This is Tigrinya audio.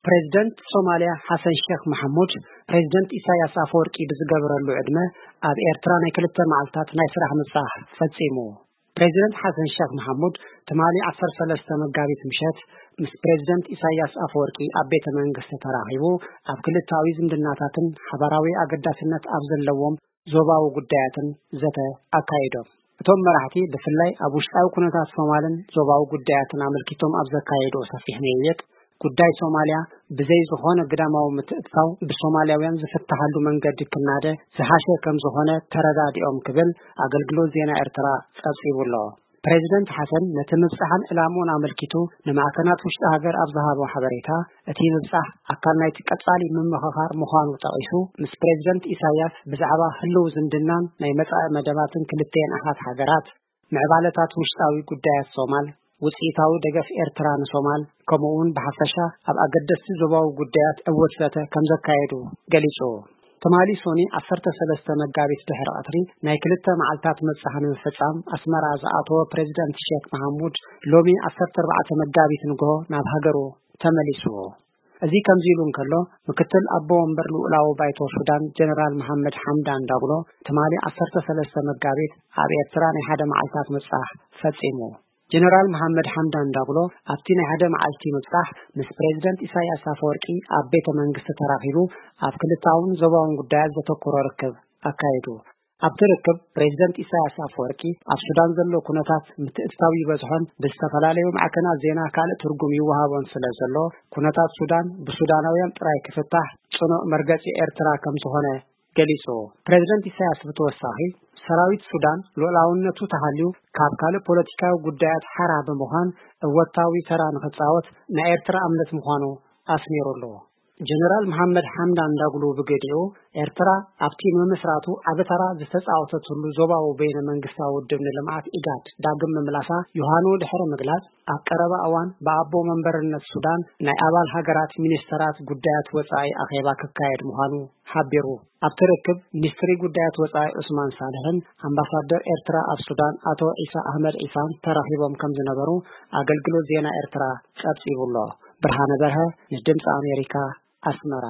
ፕሬዚደንት ሶማልያ ሓሰን ሸክ መሓሙድ፣ ፕሬዚደንት ኢሳያስ ኣፈወርቂ ብዝገበረሉ ዕድመ ኣብ ኤርትራ ናይ ክልተ መዓልታት ናይ ስራሕ ምብጻሕ ፈጺሙ። ፕሬዚደንት ሓሰን ሸክ መሓሙድ ትማሊ ዓሰርተ ሰለስተ መጋቢት ምሸት ምስ ፕሬዚደንት ኢሳያስ ኣፈወርቂ ኣብ ቤተ መንግስቲ ተራኺቡ፣ ኣብ ክልተኣዊ ዝምድናታትን ሓባራዊ ኣገዳስነት ኣብ ዘለዎም ዞባዊ ጉዳያትን ዘተ ኣካይዶም። እቶም መራሕቲ ብፍላይ ኣብ ውሽጣዊ ኩነታት ሶማልን ዞባዊ ጉዳያትን ኣመልኪቶም ኣብ ዘካየድዎ ሰፊሕ ምይይጥ፣ ጉዳይ ሶማልያ ብዘይ ዝኾነ ግዳማዊ ምትእትታው ብሶማልያውያን ዝፍትሓሉ መንገዲ ክናደ ዝሓሸ ከም ዝኾነ ተረዳዲኦም ክብል ኣገልግሎት ዜና ኤርትራ ጸብጺቡ ኣሎ። ፕሬዚደንት ሓሰን ነቲ ምብጻሕን ዕላምኡን ኣመልኪቱ ንማዕከናት ውሽጢ ሃገር ኣብ ዝሃቦ ሓበሬታ፣ እቲ ምብጻሕ ኣካል ናይቲ ቀጻሊ ምምኽኻር ምዃኑ ጠቒሱ፣ ምስ ፕሬዚደንት ኢሳያስ ብዛዕባ ህልው ዝምድናን ናይ መጻኢ መደባትን ክልቲኤን ኣሓት ሃገራት፣ ምዕባለታት ውሽጣዊ ጉዳያት ሶማል፣ ውጽኢታዊ ደገፍ ኤርትራ ንሶማል፣ ከምኡ እውን ብሓፈሻ ኣብ ኣገደስቲ ዞባዊ ጉዳያት ዕዉት ዘተ ከም ዘካየዱ ገሊጹ። ትማሊ ሶኒ ዓሰርተ ሰለስተ መጋቢት ድሕሪ ቀትሪ ናይ ክልተ መዓልታት ምብጻሕ ንምፍጻም ኣስመራ ዝኣተወ ፕሬዚደንት ሼክ መሓሙድ፣ ሎሚ ዓሰርተ ኣርባዕተ መጋቢት ንግሆ ናብ ሃገሩ ተመሊሱ። እዚ ከምዚ ኢሉ እንከሎ፣ ምክትል ኣቦ ወንበር ልኡላዊ ባይቶ ሱዳን ጀነራል መሓመድ ሓምዳን ዳግሎ ትማሊ ዓሰርተ ሰለስተ መጋቢት ኣብ ኤርትራ ናይ ሓደ መዓልታት ምብጻሕ ፈጺሙ። ጀነራል መሓመድ ሓምዳን ዳግሎ ኣብቲ ናይ ሓደ መዓልቲ ምብጻሕ ምስ ፕሬዚደንት ኢሳያስ ኣፈወርቂ ኣብ ቤተ መንግስቲ ተራኺቡ፣ ኣብ ክልታውን ዞባውን ጉዳያት ዘተኮረ ርክብ ኣካይዱ። ኣብቲ ርክብ ፕሬዚደንት ኢሳያስ ኣፈወርቂ ኣብ ሱዳን ዘሎ ኩነታት ምትእትታው ይበዝሖን ብዝተፈላለዩ ማዕከናት ዜና ካልእ ትርጉም ይወሃቦን ስለ ዘሎ፣ ኩነታት ሱዳን ብሱዳናውያን ጥራይ ክፍታሕ ጽኑዕ መርገጺ ኤርትራ ከም ዝኾነ ገሊጹ። ፕሬዚደንት ኢሳያስ ብተወሳኺ፣ ሰራዊት ሱዳን ልኡላውነቱ ተሃልዩ ካብ ካልእ ፖለቲካዊ ጉዳያት ሓራ ብምዃን እወታዊ ተራ ንኽጻወት ናይ ኤርትራ እምነት ምዃኑ ኣስሚሩሉ። ጀነራል መሓመድ ሓምዳን ዳግሎ ብገዲኡ፣ ኤርትራ ኣብቲ ምምስራቱ ዓቢ ተራ ዝተጻወተትሉ ዞባዊ በይነ መንግስታዊ ውድብ ንልምዓት ኢጋድ ዳግም ምምላሳ ዮሃኑ ድሕሪ ምግላጽ፣ ኣብ ቀረባ እዋን ብኣቦ መንበርነት ሱዳን ናይ ኣባል ሃገራት ሚኒስተራት ጉዳያት ወጻኢ ኣኼባ ክካየድ ምዃኑ ሓቢሩ። ኣብቲ ርክብ ሚኒስትሪ ጉዳያት ወጻኢ ዑስማን ሳልሕን ኣምባሳደር ኤርትራ ኣብ ሱዳን ኣቶ ዒሳ ኣህመድ ዒሳን ተራኺቦም ከም ዝነበሩ ኣገልግሎት ዜና ኤርትራ ጸብጺቡ ኣሎ። ብርሃነ በርሀ ንድምፂ ኣሜሪካ ኣስመራ።